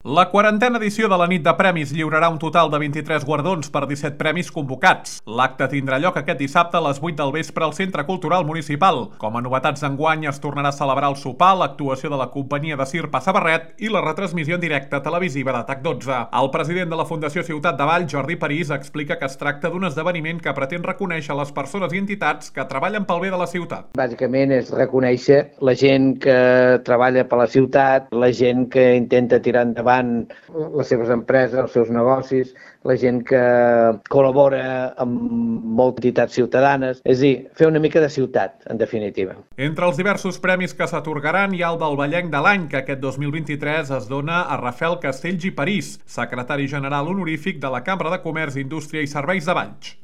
La 40a edició de la nit de premis lliurarà un total de 23 guardons per 17 premis convocats. L'acte tindrà lloc aquest dissabte a les 8 del vespre al Centre Cultural Municipal. Com a novetats d'enguany es tornarà a celebrar el sopar, l'actuació de la companyia de Circ Passa Barret i la retransmissió en directe televisiva de TAC12. El president de la Fundació Ciutat de Valls, Jordi París, explica que es tracta d'un esdeveniment que pretén reconèixer les persones i entitats que treballen pel bé de la ciutat. Bàsicament és reconèixer la gent que treballa per la ciutat, la gent que intenta tirar endavant les seves empreses, els seus negocis, la gent que col·labora amb moltes entitats ciutadanes, és a dir, fer una mica de ciutat, en definitiva. Entre els diversos premis que s'atorgaran hi ha el del Vallenc de l'any, que aquest 2023 es dona a Rafael Castells i París, secretari general honorífic de la Cambra de Comerç, Indústria i Serveis de Valls.